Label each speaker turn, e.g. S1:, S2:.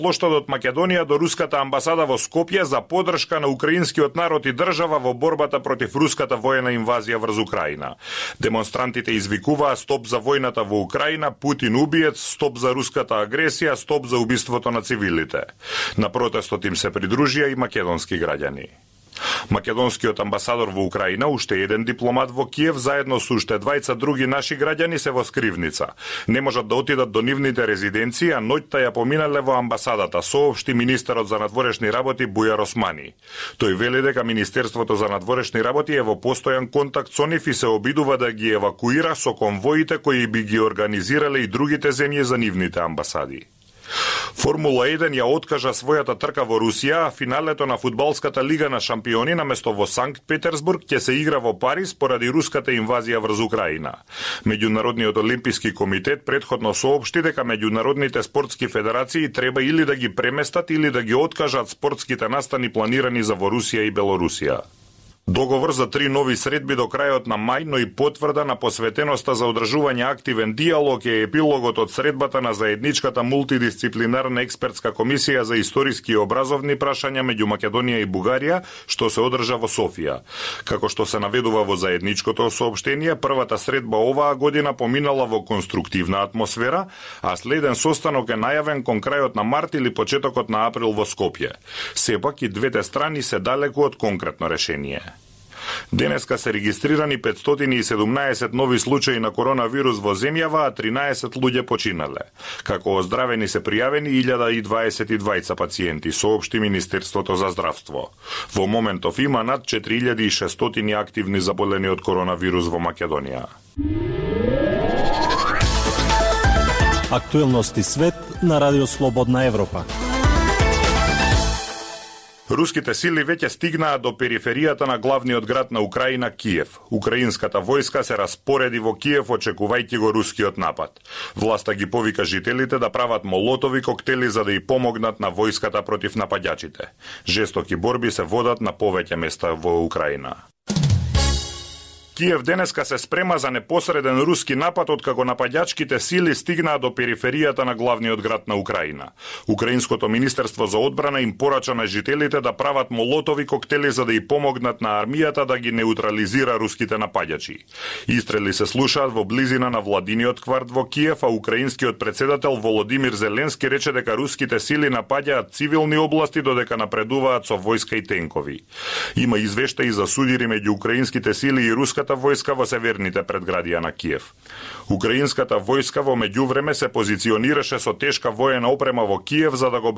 S1: плоштадот Македонија до руската амбасада во Скопје за поддршка на украинскиот народ и држава во борбата против руската воена инвазија врз Украина. Демонстрантите извикуваа стоп за војната во Украина, Путин убиец, стоп за руската агресија, стоп за убиството на цивилите. На протестот им се придружија и македонски граѓани. Македонскиот амбасадор во Украина, уште еден дипломат во Киев, заедно со уште двајца други наши граѓани се во скривница. Не можат да отидат до нивните резиденции, а ноќта ја поминале во амбасадата, соопшти министерот за надворешни работи Бујар Османи. Тој вели дека Министерството за надворешни работи е во постојан контакт со нив и се обидува да ги евакуира со конвоите кои би ги организирале и другите земји за нивните амбасади. Формула 1 ја откажа својата трка во Русија, а финалето на фудбалската лига на шампиони наместо во Санкт Петерсбург ќе се игра во Париз поради руската инвазија врз Украина. Меѓународниот олимписки комитет претходно соопшти дека меѓународните спортски федерации треба или да ги преместат или да ги откажат спортските настани планирани за во Русија и Белорусија. Договор за 3 нови средби до крајот на мај, но и потврда на посветеноста за одржување активен диалог е епилогот од средбата на заедничката мултидисциплинарна експертска комисија за историски и образовни прашања меѓу Македонија и Бугарија, што се одржа во Софија. Како што се наведува во заедничкото соопштение, првата средба оваа година поминала во конструктивна атмосфера, а следен состанок е најавен кон крајот на март или почетокот на април во Скопје. Сепак и двете страни се далеку од конкретно решение. Денеска се регистрирани 517 нови случаи на коронавирус во земјава, а 13 луѓе починале. Како оздравени се пријавени 1022 пациенти, соопшти Министерството за здравство. Во моментов има над 4600 активни заболени од коронавирус во Македонија.
S2: Актуелности свет на Радио Слободна Европа.
S1: Руските сили веќе стигнаа до периферијата на главниот град на Украина, Киев. Украинската војска се распореди во Киев очекувајќи го рускиот напад. Власта ги повика жителите да прават молотови коктели за да и помогнат на војската против нападјачите. Жестоки борби се водат на повеќе места во Украина. Киев денеска се спрема за непосреден руски напад откако нападјачките сили стигнаа до периферијата на главниот град на Украина. Украинското министерство за одбрана им порача на жителите да прават молотови коктели за да и помогнат на армијата да ги неутрализира руските нападјачи. Истрели се слушаат во близина на владиниот кварт во Киев, а украинскиот председател Володимир Зеленски рече дека руските сили напаѓаат цивилни области додека напредуваат со војска и тенкови. Има извештаи за судири меѓу украинските сили и руската војска во северните предградија на Киев. Украинската војска во меѓувреме се позиционираше со тешка воена опрема во Киев за да го